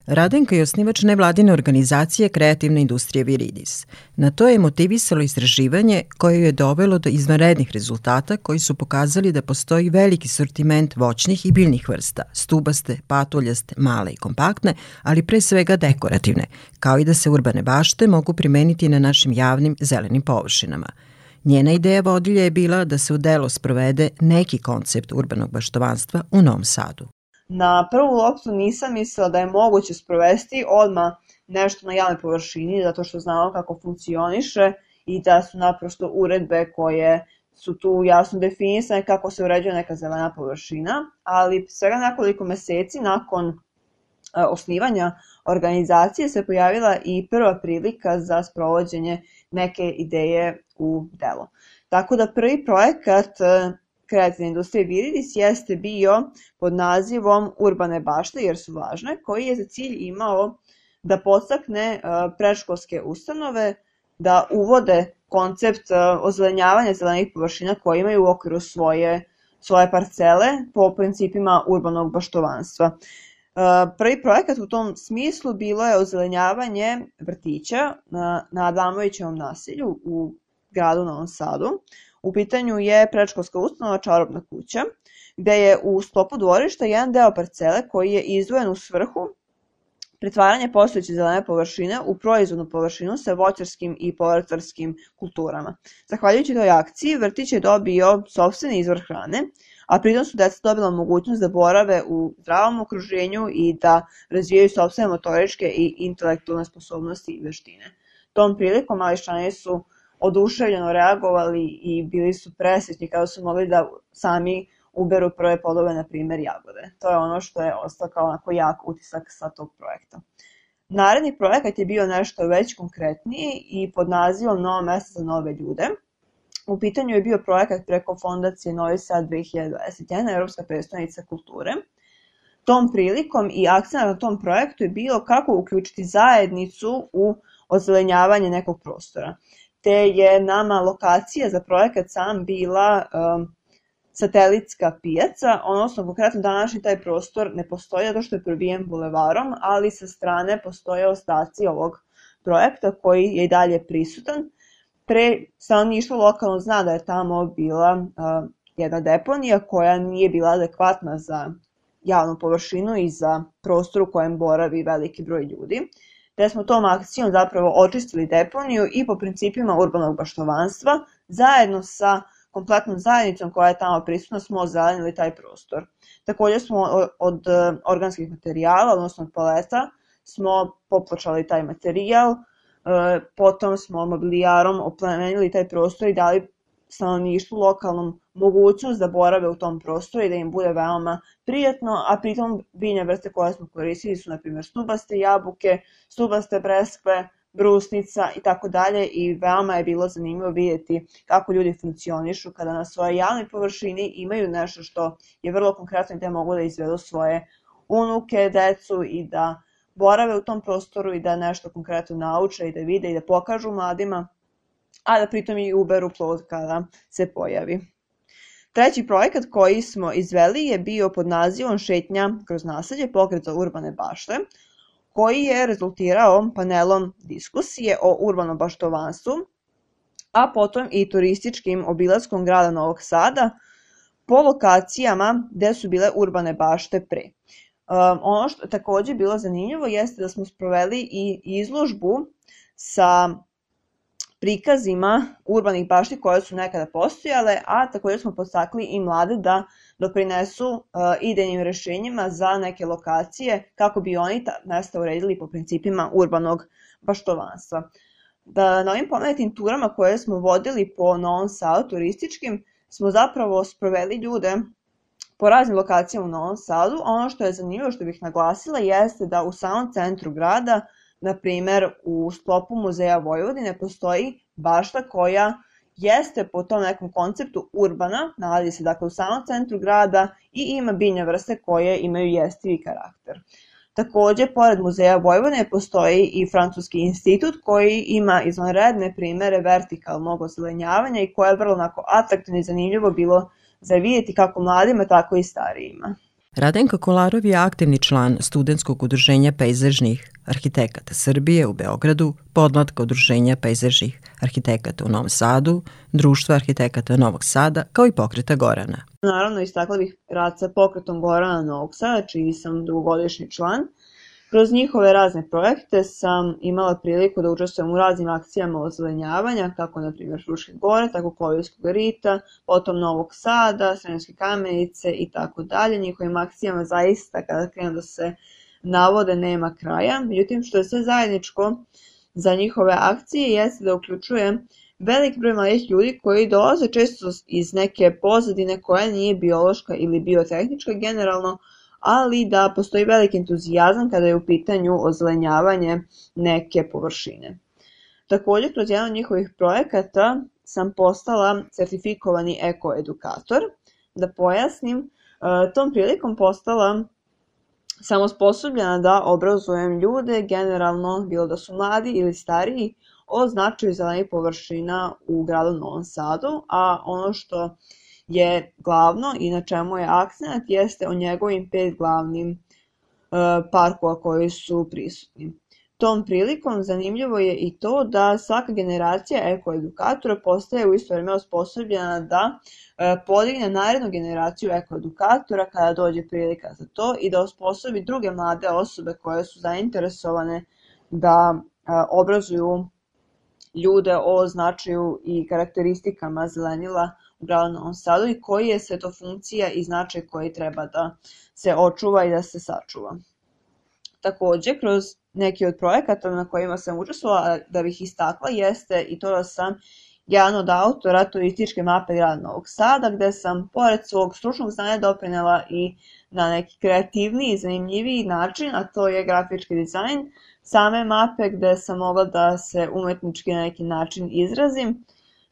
Radenka je osnivač nevladine organizacije Kreativna industrija Viridis. Na to je motivisalo istraživanje koje je dovelo do izvanrednih rezultata koji su pokazali da postoji veliki sortiment voćnih i biljnih vrsta, stubaste, patuljaste, male i kompaktne, ali pre svega dekorativne, kao i da se urbane bašte mogu primeniti na našim javnim zelenim površinama. Njena ideja vodilja je bila da se u delo sprovede neki koncept urbanog baštovanstva u Novom Sadu. Na prvu loptu nisam mislila da je moguće sprovesti odmah nešto na javnoj površini, zato što znamo kako funkcioniše i da su naprosto uredbe koje su tu jasno definisane kako se uređuje neka zelena površina, ali svega nekoliko meseci nakon osnivanja organizacije se pojavila i prva prilika za sprovođenje neke ideje u delo. Tako da prvi projekat Kreativne industrije Viridis jeste bio pod nazivom Urbane bašte jer su važne, koji je za cilj imao da podstakne predškolske ustanove da uvode koncept ozelenjavanja zelenih površina koje imaju u okviru svoje parcele po principima urbanog baštovanstva. Prvi projekat u tom smislu bilo je ozelenjavanje vrtića na Adamovićevom naselju u gradu Novom Sadu. U pitanju je predškolska ustanova Čarobna kuća, gde je u sklopu dvorišta jedan deo parcele koji je izdvojen u svrhu pretvaranja postojeće zelene površine u proizvodnu površinu sa voćarskim i povrtlarskim kulturama. Zahvaljujući toj akciji, vrtić je dobio sopstveni izvor hrane, a pritom su deca dobila mogućnost da borave u zdravom okruženju i da razvijaju sopstvene motoričke i intelektualne sposobnosti i veštine. Tom prilikom Mališčani su oduševljeno reagovali i bili su presrećni kada su mogli da sami uberu prve plodove, na primjer jagode. To je ono što je ostao kao onako jak utisak sa tog projekta. Naredni projekat je bio nešto već konkretniji i pod nazivom Novo mesto za nove ljude. U pitanju je bio projekat preko fondacije Novi Sad 2021, Evropska prestonica kulture. Tom prilikom i akcent na tom projektu je bilo kako uključiti zajednicu u ozelenjavanje nekog prostora. Te je nama lokacija za projekat sam bila satelitska pijaca, odnosno konkretno današnji taj prostor ne postoji zato što je probijen bulevarom, ali sa strane postoje ostaci ovog projekta koji je i dalje prisutan. Pre stanovništvo lokalno zna da je tamo bila jedna deponija koja nije bila adekvatna za javnu površinu i za prostor u kojem boravi veliki broj ljudi. Te smo tom akcijom zapravo očistili deponiju i po principima urbanog baštovanstva zajedno sa kompletnom zajednicom koja je tamo prisutna smo ozelenili taj prostor. Također smo od organskih materijala, odnosno od paleta, smo popločali taj materijal, potom smo mobilijarom oplemenili taj prostor i dali stanovništvu lokalnom mogućnost da borave u tom prostoru i da im bude veoma prijatno, a pritom biljne vrste koje smo koristili su na primjer stubaste jabuke, stubaste breskve, brusnica i tako dalje i veoma je bilo zanimljivo vidjeti kako ljudi funkcionišu kada na svojoj javnoj površini imaju nešto što je vrlo konkretno i da mogu da izvedu svoje unuke, decu i da borave u tom prostoru i da nešto konkretno nauče i da vide i da pokažu mladima, a da pritom i uberu plod kada se pojavi. Treći projekat koji smo izveli je bio pod nazivom Šetnja kroz naselje, pokret za urbane bašte, koji je rezultirao panelom diskusije o urbanom baštovanstvu, a potom i turističkim obilaskom grada Novog Sada po lokacijama gde su bile urbane bašte pre. Ono što je također bilo zanimljivo jeste da smo sproveli i izložbu sa prikazima urbanih bašti koje su nekada postojale, a također smo podstakli i mlade da doprinesu idejnim rešenjima za neke lokacije kako bi oni ta mesta uredili po principima urbanog baštovanstva. Na ovim pomenutim turama koje smo vodili po Novom Sadu turističkim smo zapravo sproveli ljude po raznim lokacijama u Novom Sadu. Ono što je zanimljivo što bih naglasila jeste da u samom centru grada, na primjer u sklopu Muzeja Vojvodine, postoji bašta koja jeste po tom nekom konceptu urbana, nalazi se dakle u samom centru grada i ima biljne vrste koje imaju jestivi karakter. Također, pored Muzeja Vojvodine postoji i Francuski institut koji ima izvanredne primere vertikalnog ozelenjavanja i koje je vrlo atraktivno i zanimljivo bilo za vidjeti kako mladima, tako i starijima. Radenko Kolarov je aktivni član Studentskog udruženja pejzažnih arhitekata Srbije u Beogradu, podmlatka Udruženja pejzažnih arhitekata u Novom Sadu, Društva arhitekata Novog Sada, kao i Pokreta Gorana. Naravno, istakla bih rad sa Pokretom Gorana Novog Sada, čiji sam dugogodišnji član. Kroz njihove razne projekte sam imala priliku da učestvujem u raznim akcijama ozelenjavanja, kako na primjer Fruške gore, tako Kovijskog rita, potom Novog Sada, Sremske Kamenice i tako dalje. Njihovim akcijama zaista, kada krenu da se navode, nema kraja. Međutim, što je sve zajedničko za njihove akcije jeste da uključuje velik broj mladih ljudi koji dolaze često iz neke pozadine koja nije biološka ili biotehnička generalno, ali da postoji veliki entuzijazam kada je u pitanju ozelenjavanje neke površine. Također, kroz jedan od njihovih projekata sam postala certifikovani ekoedukator. Da pojasnim, tom prilikom postala sam osposobljena da obrazujem ljude, generalno bilo da su mladi ili stariji, o značaju zelenih površina u gradu Novom Sadu, a ono što je glavno i na čemu je akcent jeste o njegovim 5 glavnim parkova koji su prisutni. Tom prilikom zanimljivo je i to da svaka generacija ekoedukatora postaje u isto vreme osposobljena da podigne narednu generaciju ekoedukatora kada dođe prilika za to i da osposobi druge mlade osobe koje su zainteresovane da obrazuju ljude o značaju i karakteristikama zelenila u gradu Novom Sadu i koji je sve to funkcija i značaj koji treba da se očuva i da se sačuva. Takođe, kroz neki od projekata na kojima sam učestvovala, da bih istakla, jeste i to da sam jedan od autora turističke mape grada Novog Sada, gde sam pored svog stručnog znanja doprinela i na neki kreativniji i zanimljiviji način, a to je grafički dizajn same mape, gde sam mogla da se umetnički na neki način izrazim,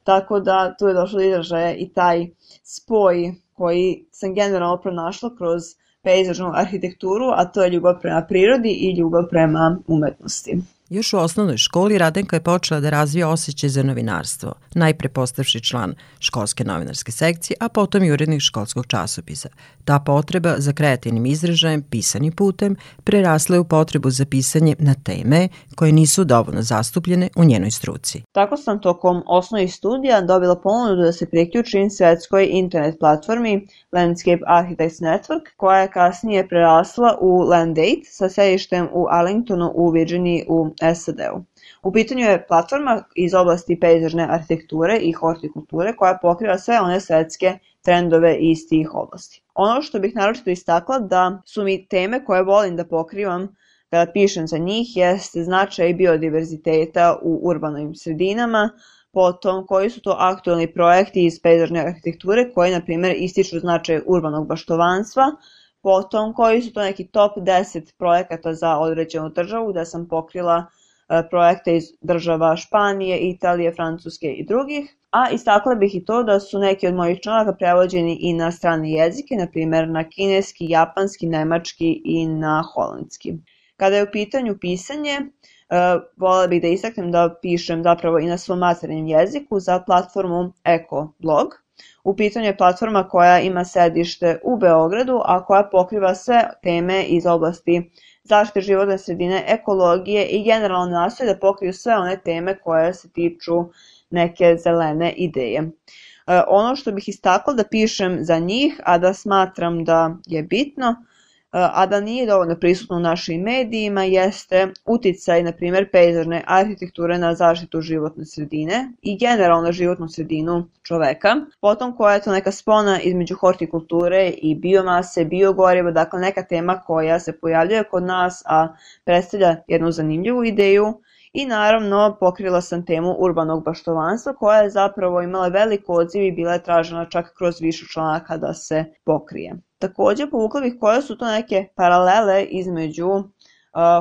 tako da tu je došlo do izražaja i taj spoj koji sam generalno pronašla kroz pejzažnu arhitekturu, a to je ljubav prema prirodi i ljubav prema umetnosti. Još u osnovnoj školi Radenka je počela da razvija osjećaj za novinarstvo, najpre postavši član školske novinarske sekcije, a potom i urednik školskog časopisa. Ta potreba za kreativnim izražajem, pisanim putem, prerasla je u potrebu za pisanje na teme koje nisu dovoljno zastupljene u njenoj struci. Tako sam tokom osnovnih studija dobila ponudu da se priključim svetskoj internet platformi Landscape Architects Network, koja je kasnije prerasla u Land8 sa sedištem u Arlingtonu u Virginiji u SAD-u. U pitanju je platforma iz oblasti pejzažne arhitekture i hortikulture koja pokriva sve one svetske trendove iz tih oblasti. Ono što bih naročito istakla da su mi teme koje volim da pokrivam kada pišem za njih jeste značaj biodiverziteta u urbanim sredinama, potom koji su to aktualni projekti iz pejzažne arhitekture koji, na primjer, ističu značaj urbanog baštovanstva, potom koji su to neki top 10 projekata za određenu državu, da sam pokrila projekte iz država Španije, Italije, Francuske i drugih, a istakla bih i to da su neki od mojih članaka prevođeni i na strane jezike, na primjer na kineski, japanski, nemački i na holandski. Kada je u pitanju pisanje, voljela bih da istaknem da pišem zapravo i na svom maternjem jeziku za platformu EkoBlog. U pitanju je platforma koja ima sedište u Beogradu, a koja pokriva sve teme iz oblasti zaštite životne sredine, ekologije i generalno nastoji da pokriju sve one teme koje se tiču neke zelene ideje. Ono što bih istakla da pišem za njih, a da smatram da je bitno, a da nije dovoljno prisutno u našim medijima, jeste uticaj, na primjer, pejzažne arhitekture na zaštitu životne sredine i generalno životnu sredinu čoveka. Potom koja je to neka spona između hortikulture i biomase, biogoriva, dakle neka tema koja se pojavljuje kod nas, a predstavlja jednu zanimljivu ideju. I naravno pokrila sam temu urbanog baštovanstva koja je zapravo imala velik odziv i bila je tražena čak kroz više članaka da se pokrije. Takođe povukla bih koje su to neke paralele između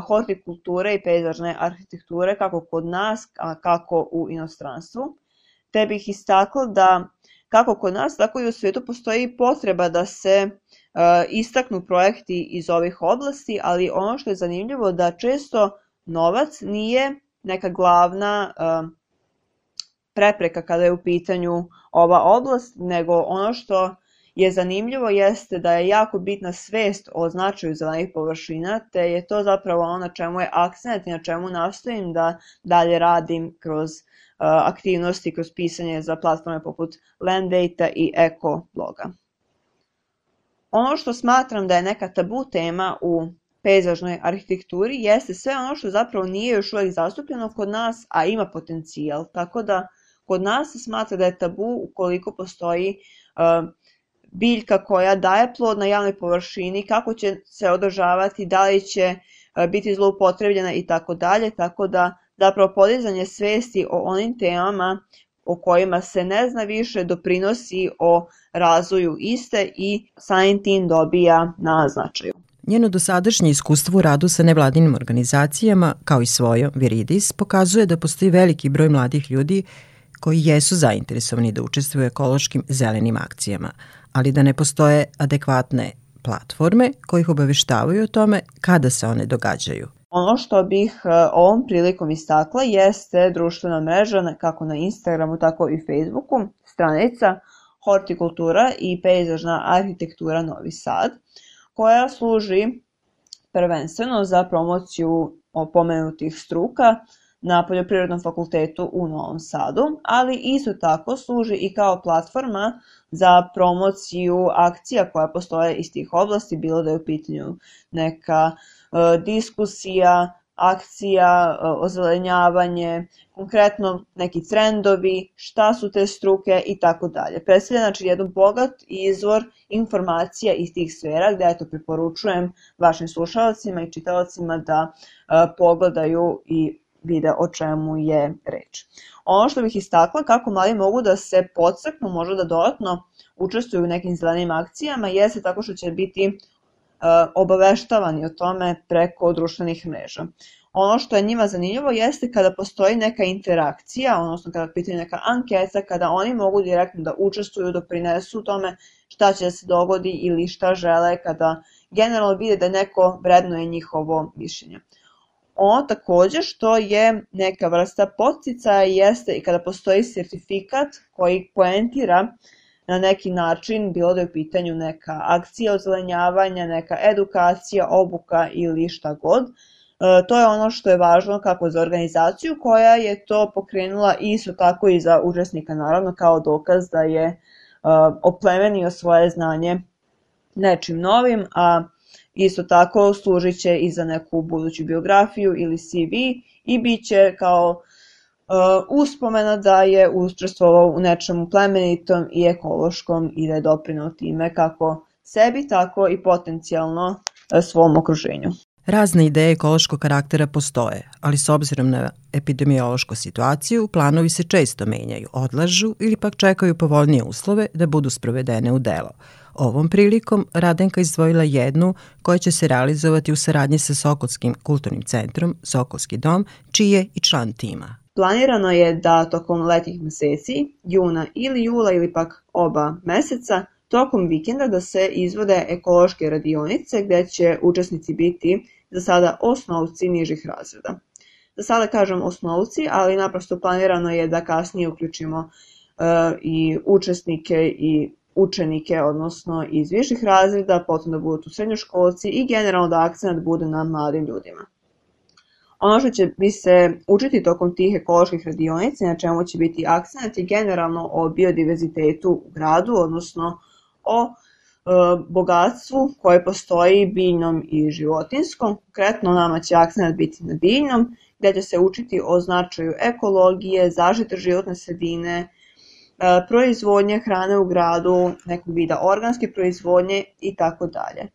hortikulture i pejzažne arhitekture kako kod nas, a kako u inostranstvu. Te bih istakla da kako kod nas, tako i u svijetu postoji potreba da se istaknu projekti iz ovih oblasti, ali ono što je zanimljivo da često novac nije neka glavna prepreka kada je u pitanju ova oblast, nego ono što je zanimljivo jeste da je jako bitna svest o značaju zelenih površina, te je to zapravo ono na čemu je akcent i na čemu nastojim da dalje radim kroz aktivnosti, kroz pisanje za platforme poput Landdata i Eko bloga. Ono što smatram da je neka tabu tema u pejzažnoj arhitekturi jeste sve ono što zapravo nije još uvek zastupljeno kod nas, a ima potencijal. Tako da kod nas se smatra da je tabu ukoliko postoji biljka koja daje plod na javnoj površini, kako će se održavati, da li će biti zloupotrebljena i tako dalje, tako da zapravo podizanje svesti o onim temama o kojima se ne zna više doprinosi o razvoju iste i samim tim dobija na značaju. Njeno dosadašnje iskustvo u radu sa nevladinim organizacijama, kao i svojom Viridis, pokazuje da postoji veliki broj mladih ljudi koji jesu zainteresovani da učestvuju u ekološkim zelenim akcijama, ali da ne postoje adekvatne platforme koje ih obaveštavaju o tome kada se one događaju. Ono što bih ovom prilikom istakla jeste društvena mreža kako na Instagramu, tako i Facebooku, stranica Hortikultura i pejzažna arhitektura Novi Sad, koja služi prvenstveno za promociju pomenutih struka na Poljoprivrednom fakultetu u Novom Sadu, ali isto tako služi i kao platforma za promociju akcija koja postoje iz tih oblasti, bilo da je u pitanju neka diskusija, akcija, ozelenjavanje, konkretno neki trendovi, šta su te struke i tako dalje. Predstavlja znači jedan bogat izvor informacija iz tih sfera gde eto preporučujem vašim slušalcima i čitaocima da pogledaju i vide o čemu je reč. Ono što bih istakla kako mladi mogu da se podstaknu, možda da dodatno učestvuju u nekim zelenim akcijama, jeste tako što će biti obaveštavani o tome preko društvenih mreža. Ono što je njima zanimljivo jeste kada postoji neka interakcija, odnosno kada pitaju neka anketa, kada oni mogu direktno da učestvuju, doprinesu u tome šta će da se dogodi ili šta žele, kada generalno vide da neko vrednuje njihovo mišljenje. Ono takođe što je neka vrsta podsticaja jeste i kada postoji sertifikat koji poentira na neki način, bilo da je u pitanju neka akcija ozelenjavanja, neka edukacija, obuka ili šta god. To je ono što je važno kako za organizaciju koja je to pokrenula i isto tako i za učesnika, naravno kao dokaz da je oplemenio svoje znanje nečim novim, a isto tako služit će i za neku buduću biografiju ili CV i bit će kao uspomena da je učestvovao u nečemu plemenitom i ekološkom i da je doprineo time kako sebi, tako i potencijalno svom okruženju. Razne ideje ekološkog karaktera postoje, ali s obzirom na epidemiološku situaciju, planovi se često menjaju, odlažu ili pak čekaju povoljnije uslove da budu sprovedene u delo. Ovom prilikom Radenka izdvojila jednu koja će se realizovati u saradnji sa Sokolskim kulturnim centrom Sokolski dom, čiji je i član tima. Planirano je da tokom letnjih meseci, juna ili jula ili pak oba meseca, tokom vikenda da se izvode ekološke radionice gde će učesnici biti za sada osnovci nižih razreda. Za sada kažem osnovci, ali naprosto planirano je da kasnije uključimo i učesnike i učenike, odnosno iz viših razreda, potom da budu tu srednjoškolci i generalno da akcent bude na mladim ljudima. Ono što će bi se učiti tokom tih ekoloških radionica, na čemu će biti akcent je generalno o biodiverzitetu u gradu, odnosno o bogatstvu koje postoji biljnom i životinskom. Konkretno nama će akcent biti na biljnom, gde će se učiti o značaju ekologije, zaštite životne sredine, proizvodnje hrane u gradu, nekog vida organske proizvodnje i tako dalje.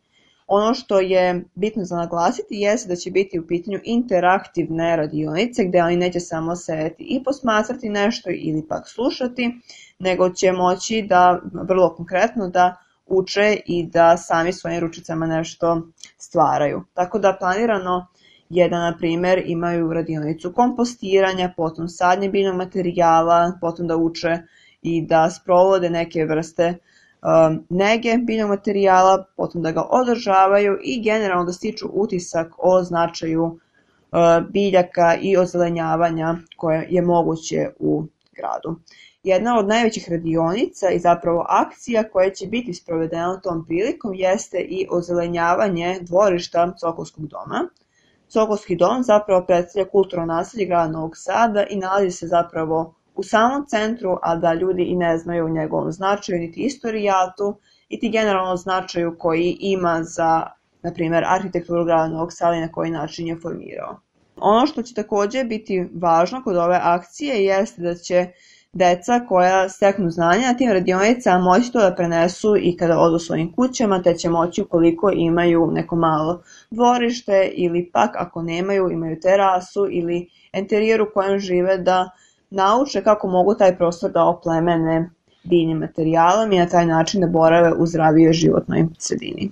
Ono što je bitno za naglasiti jeste da će biti u pitanju interaktivne radionice gde oni neće samo sedeti i posmatrati nešto ili pak slušati, nego će moći da vrlo konkretno da uče i da sami svojim ručicama nešto stvaraju. Tako da planirano je da, na primer, imaju radionicu kompostiranja, potom sadnje biljnog materijala, potom da uče i da sprovode neke vrste nege biljnog materijala, potom da ga održavaju i generalno da stiču utisak o značaju biljaka i ozelenjavanja koje je moguće u gradu. Jedna od najvećih radionica i zapravo akcija koja će biti sprovedena tom prilikom jeste i ozelenjavanje dvorišta Sokolskog doma. Sokolski dom zapravo predstavlja kulturno naselje grada Novog Sada i nalazi se zapravo u samom centru, a da ljudi i ne znaju o njegovom značaju, niti istorijatu, niti generalno značaju koji ima za, na primjer, arhitekturu grada Novog Sada i na koji način je formirao. Ono što će takođe biti važno kod ove akcije jeste da će deca koja steknu znanja na tim radionicama moći to da prenesu i kada odu svojim kućama, te će moći ukoliko imaju neko malo dvorište ili pak ako nemaju, imaju terasu ili enterijer u kojem žive da nauče kako mogu taj prostor da oplemene biljnim materijalom i na taj način da borave u zdravijoj životnoj sredini.